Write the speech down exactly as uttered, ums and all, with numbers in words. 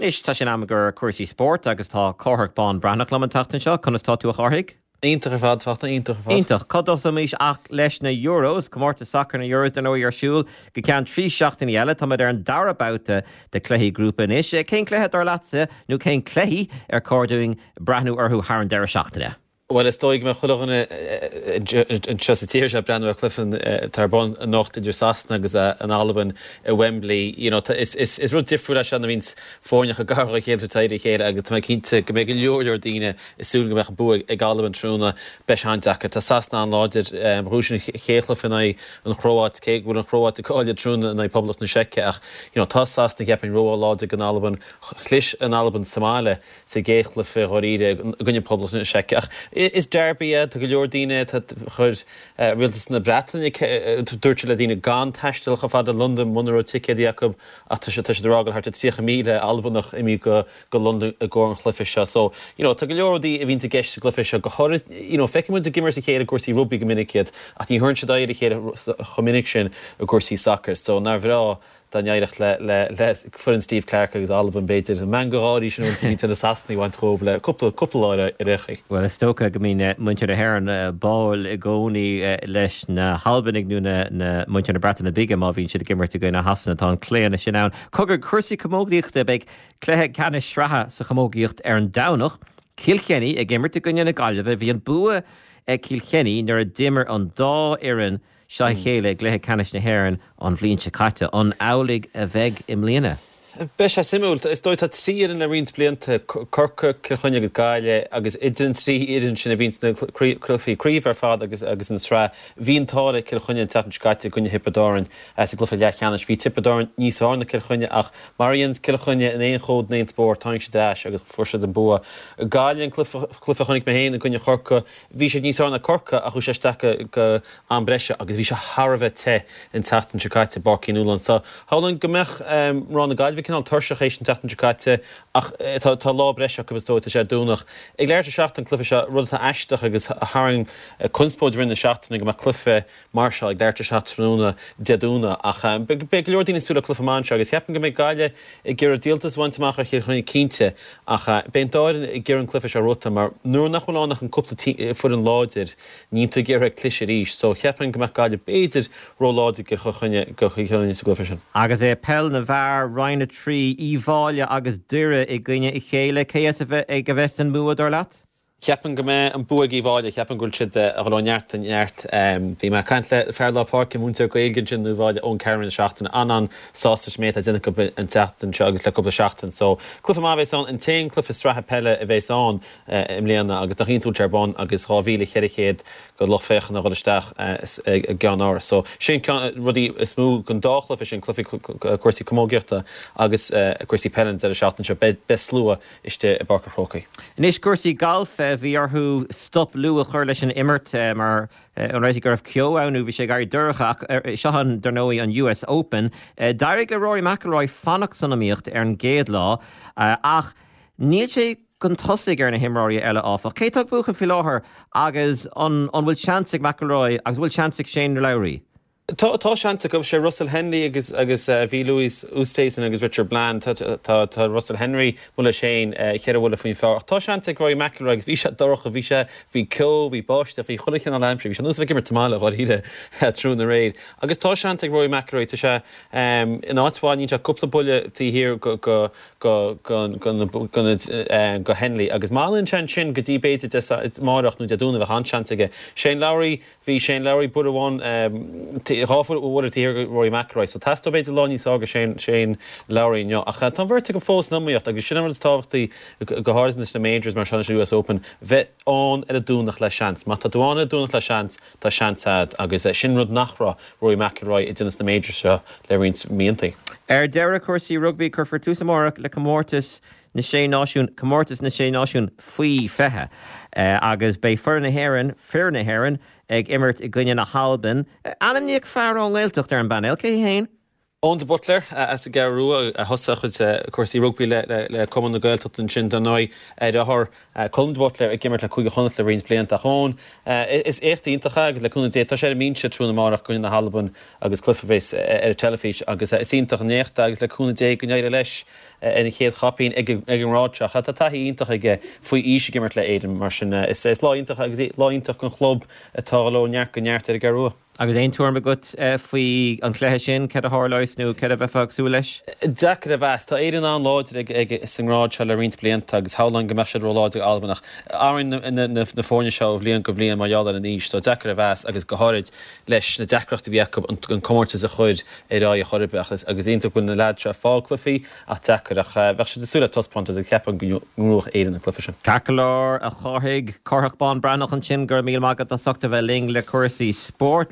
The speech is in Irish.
Anois tá sé in am gur cúrsaí spóirt agus tá Cárthach Bán Breathnach liom an tseachtain seo, conas tá tú a Chárthaigh? Iontach ar fad fachta iontach ar fad. Iontach cá dtosóimis ach leis na Euros, comórtas sacair na Euros dar ndóigh ar siúl go ceann trí seachtainí eile, Táimid ar an dara babhta de chluichí grúpa anois. Cén cluiche dar leatsa nó cén cluichí ar chóir dúinn breathnú orthu thar an deireadh seachtaine? Well is dóigh mé chuile dhuine anseo sa tír seo breathnú ar chluiche atá ar bun anocht idir Sasana agus an Albain i Wembley. You know, is, is, is rud difriúil é seo na bhíonn foirne gar dá chéile taobh a chéile agus tá cinnte go mbeidh go leor leor daoine ag súil go mbeadh bua ag Albain tráthnóna beidh sé an-deacair. Tá Sasana an-láidir bhuaigh siad an chéad chluiche in aghaidh an Chróit cé go bhfuil an Chróit ag cailleadh tráthnóna in aghaidh Poblacht na Seice ach you know, tá Sasana ceapaim ró-láidir don Albain chlis an Albain sa mbaile sa gcéad chluiche dháiríre i gcoinne Poblacht na Seice ach is derby é tá go leor daoine chuir rialtas na Breataine dúirt le daoine gan taisteal chomh fada London muna raibh ticéidí acu ach tá sé tá rá thart tríocha míle Albanach imithe go go London i gcomhair an chluiche seo. So you know, tá go leor rudaí a bhíonn i gceist sa gcluiche seo go háirithe you know, feicfidh muid ag imirt a chéile cúrsaí rugby go minic iad ach ní thugann siad aghaidh a chéile chomh minic sin i gcúrsaí soccer, so nár bhreá dá n-éireodh le le le foireann Steve Clarke agus Albain b'fhéidir an meangadh gáirí sin bhí na Sasanaigh a bhaint dhóibh le cúpla cúpla lá ar éirí. Well is dócha go mbíonn muintir na hÉireann báúil i gcónaí leis na hAlbanaigh nó na, na muintir na Breataine Bige má bhíonn siad ag imirt i gcoinne Shasana tá an claonadh sin ann. Cogar cúrsaí camógaíochta beidh cluiche ceannais sraithe sa chamógaíocht ar an Domhnach, Cill Chainnigh ag imirt i gcoinne na Gaillimhe bhí an bua ag Cill Chainnigh nuair a d'imir an dá fhoireann seo a chéile i gcluiche ceannais na hÉireann an bhliain seo caite an amhlaidh a bheidh i mbliana. Beidh sé suimiúil is dóigh tá trí fhoireann le roinnt blianta Corcaigh Cill Chainnigh agus Gaillimh agus idir an trí fhoireann sin a bhíonn sna cluichí craoibhe ar fad agus agus an sraith bhí an t-ádh le Cill Chainnigh an tseachtain seo caite i gcoinne Thiobraid Árann sa gcluiche leathcheannais. Bhí Tiobraid Árann níos fearr ná Cill Chainnigh ach mar a dhéanann Cill Chainnigh in aon chód in aon spórt tháinig siad ar ais agus fuair siad an bua. Gaillimh an cluiche a chonaic mé féin i gcoinne Chorcaí bhí siad níos fearr ná Corcaigh ach chuaigh sé isteach go am breise agus bhí sé thar a bheith te an tseachtain seo caite Páirc Uí Nualláin. So shamhlóinn go mbeadh mná na Gaillimhe cineál tuirseach théis an tseachtain seo caite ach tá tá lá breise acu is dóigh tá sé ar Domhnach. Ag leathuair tar éis a seacht an cluiche seo rud atá aisteach agus a tharraing conspóid roimh na seachtaine go mbeadh cluiche mar seo ag leathuair tar éis a seacht tráthnóna Dé Domhnaigh ach beidh go leor daoine ag súil le cluiche maith anseo agus ceapaim go mbeidh Gaillimh ag iarraidh díoltas a bhaint amach ar Chill Chainnigh cinnte ach beidh an dá fhoireann ag iarraidh an cluiche seo rota mar nuair nach bhfuil ann ach an cúpla foireann láidir níl tú ag iarraidh cliseadh arís so ceapaim go mbeadh Gaillimh b'fhéidir ró-láidir go Chainnigh go Chill Chainnigh sa gcluiche sin. Agus é peil na bhfear Roinn a trí Uíbh Fhailí agus Doire i gcoinne a chéile cé as a bheith ag a bheith san mbua dar leat? Ceapaim go mbeidh an bua ag Uíbh Fhailí, ceapaim go bhfuil siad a dhul ó neart go neart. Bhí mé ag caint le fear lár páirce múinteoir Gaeilge ansin in Uíbh Fhailí Eoin Cameron an seachtain an-an-sásta leis an méid atá déanta acu an tseachtain seo agus le cúpla seachtain. So cluiche maith a bheas ann an t-aon cluiche sraithe peile a bheas ann i mbliana agus nach iontach ar bun agus dhá mhíle ceithre chéad go lucht féachana a dhul isteach i gceann So sin rudaí is mó den dá chluiche sin cluichí cúrsaí camógaíochta agus cúrsaí peile an deireadh seachtaine seo beidh slua istigh i bPáirc an Chrócaigh. Anois cúrsaí galf bhí orthu stop luath a chur leis an imirt mar an réitigh go raibh ceo ann bhí sé ag éirí dorcha ach seo an dar ndóigh an US Open. D'éirigh le Rory McIlroy fanacht san iomaíocht ar an gcéad lá ach níl sé chun tosaigh ar na himreoirí eile áfach. Cé tá buachan faoi láthair agus an an bhfuil seans ag McIlroy agus bhfuil seans ag Shane Lowry. Tá tá seans acu sé Russell Henley agus agus uh, bhí Louis Oosthuizen agus Richard Bland tá, tá, tá Russell Henley mu leis féin uh, cheithre bhuille faoin phar. Tá seans ag Rory McIlroy agus bhí sé dorcha bhí sé bhí ceo bhí báisteach bhí chuile chineál aimsire bhí sé nós bheith tamáile gáiríre tráthnóna aréir. Agus tá seans ag Rory McIlroy tá sé um, in áit bhain sé cúpla buille taobh thiar go go go go go go go Henley agus má sin sin go dtí b'fhéidir amárach nó Dé Domhnaigh bheadh an seans aige. Shane Lowry bhí Shane Lowry buille amháin dhá bhuille taobh thiar Rory McIlroy, so teastóidh b'fhéidir lá níos fearr go Shane Shane Lowry inniu ach tá bheirt go fós san iomaíocht agus sin an rud is tábhachtaí go háirithe na majors mar sin US Open bheith ann ar an Domhnach le seans. Má tá tú ann ar an Domhnach le seans tá seans agat agus sin rud nach raibh Rory McIlroy ag déanamh na majors seo le roinnt míonna. Ar deireadh cúrsaí rugbaí cuirfear tús amárach le comórtas na sé náisiún comórtas na sé náisiún faoi fiche uh, agus beidh foireann na hÉireann fir na hÉireann ag imirt i gcoinne na hAlban. Ainmníodh fear ón nGaeltacht ar an bpainéal cé féin? Eoin de Buitléar as an gCeathrú Rua a thosaigh a chuid cúrsaí rugbaí le Cumann na Gaeltachta ansin dar ndóigh, a dheartháir Colm de Buitléar ag imirt le Cúige Chonnacht le roinnt blianta. Ach Eoin, is éacht iontach é agus le cúnamh Dé tá sé ar an mbinse tráthnóna amárach i gcoinne na hAlban agus cluiche a bheas ar an teilifís agus is iontach an éacht é agus le cúnamh Dé go n-éireoidh leis ina chéad chaipín ag an ngrád seo. Tá taithí iontach aige faoi aois ag imirt le Éirinn mar sin is lá iontach agus lá iontach don chlub atá ag dul ó neart go neart ar an gCeathrú Rua. Agus aon tuairim agat faoi an chluiche sin, céard a tharlós nó céard a bheifeá ag súil leis? Deacair a mheas. Tá Éirinn an-láidir ag sa ngrád seo le roinnt blianta agus shamhlóinn go mbeadh siad ró-láidir ag Albain ach athraíonn na foirne seo ó bhliain go bliain mar gheall ar an aois so deacair a mheas agus go háirid leis na deacrachtaí a bhí acu an comórtas a chur ar aghaidh chor ar bith agus iontach go bhfuil na leaids seo ag fáil cluichí ach deacair ach bheadh siad ag súil le taispeántas agus ceapaim go ngnóthóidh Éirinn an cluiche sin. Ceart go leor, a Chárthaigh, Cárthach Bán Breathnach ansin, go raibh míle maith agat as ucht a bheith linn le cúrsaí spóirt.